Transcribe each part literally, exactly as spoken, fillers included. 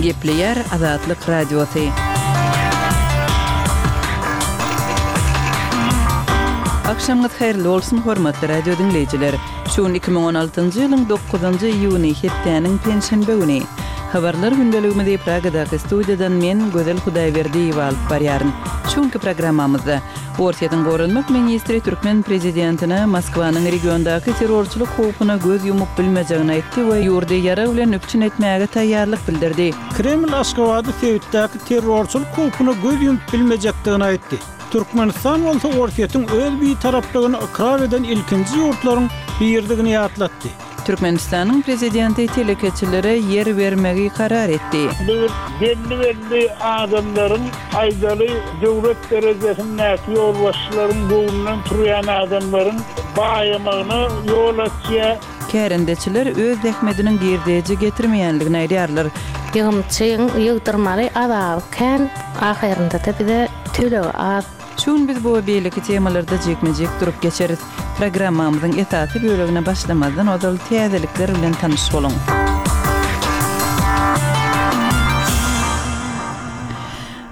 Gepleýär Azatlyk Radiosy. Agşamyňyz haýyrly bolsun, hormatly radio diňleýjiler. Şu gün iki müň on altynjy ýylyň dokuzynjy iýuny, hepdäniň penşenbe güni. Habarlar gündeligimizi Pragadaky studiýadan men, Gözel Hudaýberdiýewa alyp barýaryn. Şu günki programmamyzda Orsýetiň goranmak ministri türkmen prezidentine Moskwanyň regiondaky terrorçylyk howpuna göz ýumup bilmejegini aýtdy we ýurdy ýarag bilen üpjün etmäge taýýarlyk bildirdi. Kreml Aşgabady sebitdäki terrorçylyk howpuna göz ýumup bilmejekdigini aýtdy. Türkmenistan bolsa Orsýetiň öz bitaraplygyny ykrar eden ilkinji ýurtlaryň biridigini ýatlatdy. Türkmenistanyň prezidenti telekeçilere ýer bermegi karar etdi. Bir belli-belli adamlaryň aýdaly döwlet derejesindäki ýolbaşçylaryň göwnünden turýan adamlaryň baýamagyna ýol açýar. Kärendeçiler öz zähmetiniň girdeji getirmeýänligini aýdýarlar. Ýygymçyň ýygdyrmaly azaby kän, ahyrynda-da bize tölegi az. Şu gün biz bu we beýleki temalarda jikme-jik durup geçeris. Programmamyzyň esasy bölegine başlamazdan ozal täzelikler bilen tanyş boluň.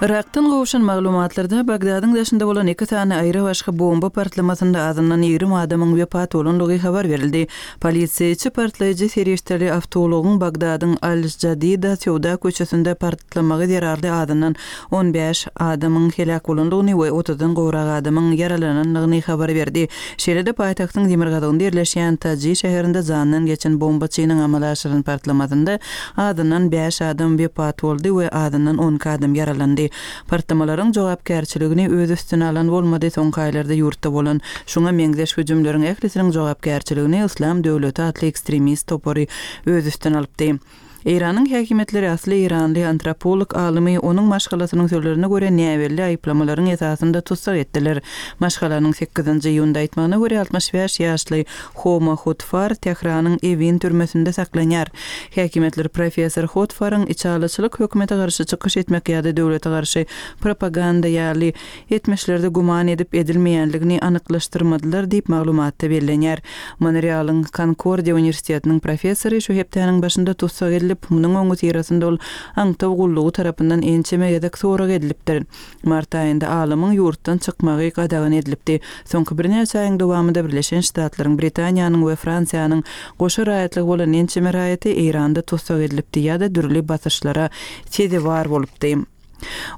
Yrakdan gowşan maglumatlarda Bagdadyň daşynda bolan iki sany aýry-başga bomba partlamasynda azyndan ýigrimi adamyň wepat bolandygy habar berildi. Polisiýa içi partlaýjy serişdeli awtoulagyň Bagdadyň Al-Jadida söwda köçesinde partlamagy zerarly azyndan on bäş adamyň heläk bolandygyny we otuzdan gowrak adamyň ýaralanandygyny habar berdi. Şeýle-de paýtagtyň demirgazygynda ýerleşýän Taji şäherinde jandan geçen bombaçynyň amala aşyran partlamasynda azyndan bäş adam wepat boldy we azyndan on iki adam ýaralandy. Partlamalaryň jogapkärçiligini öz üstüne alan bolmady, soňky aýlarda ýurtda bolan şuňa meňzeş hüjümleriň ählisiniň jogapkärçiligini Yslam döwleti atly ekstremist topary öz üstüne alypdy. Eýranyň häkimiýetleri asly eýranly antropolog alymy onuň maşgalasynyň sözlerine görä näbelli aýyplamalaryň esasynda tussag etdiler. Maşgalanyň sekizinji iýunda aýtmagyna görä altmyş bäş ýaşly Homa Hotfar Tähranyň Ewin türmesinde saklanýar. Häkimiýetler professor Hotfaryň içalyçylyk hökümete garşy çykyş etmek ýa-da döwlete garşy propaganda ýaly etmişlerde güman edip edilmeýänligini anyklaşdyrmadylar diýip maglumatda bellenýär. Monrealyň Concordia uniwersitetiniň professory şu hepdäniň başynda tussag edilip, munuň öňi syrasynda ol aňtaw gullugy tarapyndan ençeme gezek sorag edilipdir. Mart aýynda alymyň ýurtdan çykmagy gadagan edilipdi. Soňky birnäçe aýyň dowamynda Birleşen Ştatlaryň, Britaniýanyň we Fransiýanyň goşa raýatlygy bolan ençeme raýaty Eýranda tussag edilipdi ýa-da dürli basyşlara sezewar bolupdy.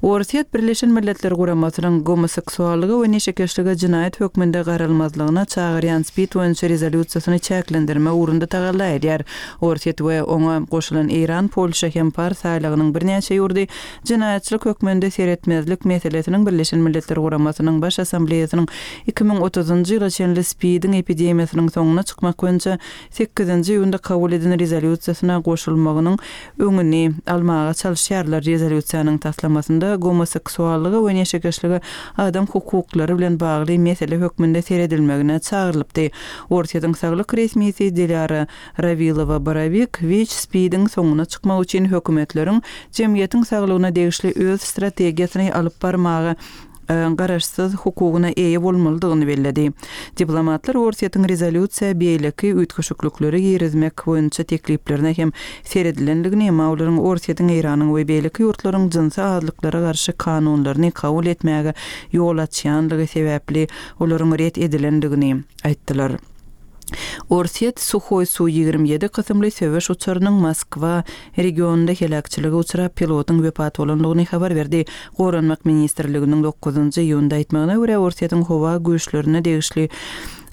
Orsýet Birleşen Milletler Guramasynyň gomoseksuallyga we neşekeşlige jinaýat hökmünde garalmazlygyna çagyrýan SPID boýunça rezolýusiýasyny çäklendirme ugrunda tagalla edýär. Orsýet we oňa goşulan Eýran, Polşa hem Pars aýlagynyň birnäçe ýurdy jinaýatçylyk hökmünde seretmezlik meselesiniň Birleşen Milletler Guramasynyň Baş Assambleýasynyň iki müň otuzynjy ýyla çenli SPID-iň epidemiýasynyň soňuna çykmak boýunça sekizinji iýunda kabul eden rezolýusiýasyna goşulmagynyň öňüni almaga çalyşýarlar. Rezolýusiýanyň taslamasynda gomoseksuallyga we neşekeşlige adam hukuklary bilen bagly mesele hökmünde seredilmegine çagyrylypdy. Orsýetiň saglyk resmisi Dilara Rawilowa-Borovik WIÇ SPID-iň soňuna çykmak üçin hökümetleriň jemgyýetiň saglygyna degişli öz strategiýasyny alyp barmaga, e, garaşsyz hukugyna eýe bolmalydygyny belledi. Diplomatlar Orsýetiň rezolýusiýa beýleki üýtgeşiklikleri girizmek boýunça tekliplerine hem seredilendigini, emma olaryň Orsýetiň, Eýranyň we beýleki ýurtlaryň jynsy azlyklara garşy kanunlaryny kabul etmäge ýol açýanlygy sebäpli olaryň ret edilendigini aýtdylar. Orsýet Suhoý Su ýigrimi ýedi kysymly söweş uçarynyň Moskwa regionynda heläkçilige uçrap pilotyň wepat bolandygyny habar berdi. Goranmak ministrliginiň dokuzynjy iýunda aýtmagyna görä Orsýetiň howa güýçlerine degişli,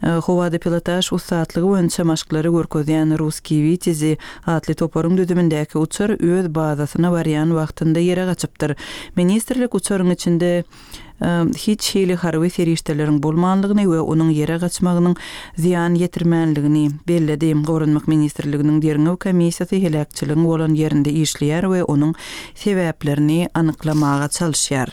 e, howada pilotaž ussatlygy boýunça maşklary görkezýän Ruskiý Witezi atly toparyň düzümindäki uçar öz bazasyna barýan wagtynda ýere gaçypdyr. Ministrlik uçaryň içinde, e, hiç hili harby serişdeleriň bolmanlygyny we onuň ýere gaçmagynyň zyýan ýetirmänligini belledi. Goranmak ministrliginiň derňew komissiýasy heläkçiligiň bolan ýerinde işleýär we onuň sebäplerini anyklamaga çalyşýar.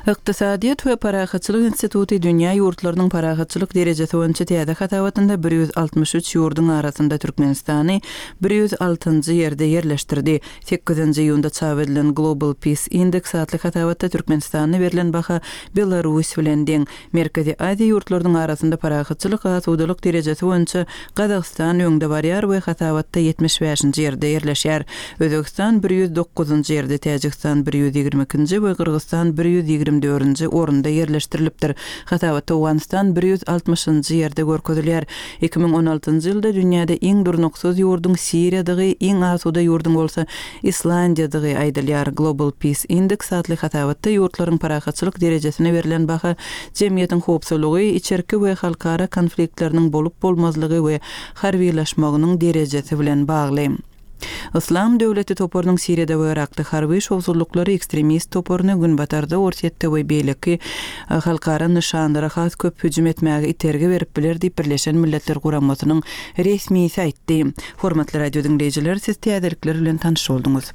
Ykdysadyýet we parahatçylyk instituty dünýä ýurtlarynyň parahatçylyk derejesi boýunça täze hasabatynda bir ýüz altmyş üç ýurduň arasynda Türkmenistany bir ýüz altynjy ýerde ýerleşdirdi. Sekizinji iýunda çap edilen Global Peace Index atly hasabatda Türkmenistana berlen baha Belarus bilen deň. Merkezi Aziýa ýurtlarynyň arasynda parahatçylyk, asudalyk derejesi boýunça Gazagystan öňde barýar we hasabatda ýetmiş bäşinji ýerde ýerleşýär. Özbegistan bir ýüz dokuzynjy ýerde, Täjigistan bir ýüz ýigrimi ikinji we Gyrgyzystan bir ýüz ýigrimi dördünji orunda ýerleşdirilipdir. Hasabatda Owganystan bir ýüz altmyşynjy ýerde görkezilýär. Iki müň on altynjy ýylda dünýäde iň durnuksyz ýurduň Siriýadygy, iň asuda ýurduň bolsa Islandiýadygy aýdylýar. Global Peace Index atly hasabatda ýurtlaryň parahatçylyk derejesine berlen baha jemgyýetiň howpsuzlygy, içerki we halkara konfliktleriniň bolup-bolmazlygy we harbylaşmagynyň derejesi bilen bagly. Yslam döwleti toparynyň Siriýada we Yrakda harby şowsuzlyklary ekstremist toparyny Günbatarda, Orsýetde we beýleki halkara nyşanlara has köp hüjüm etmäge itergi berip biler diýip, Birleşen Milletler Guramasynyň resmisi aýtdy. Hormatly radio diňleýjiler, siz täzelikler bilen tanyş bolduňyz.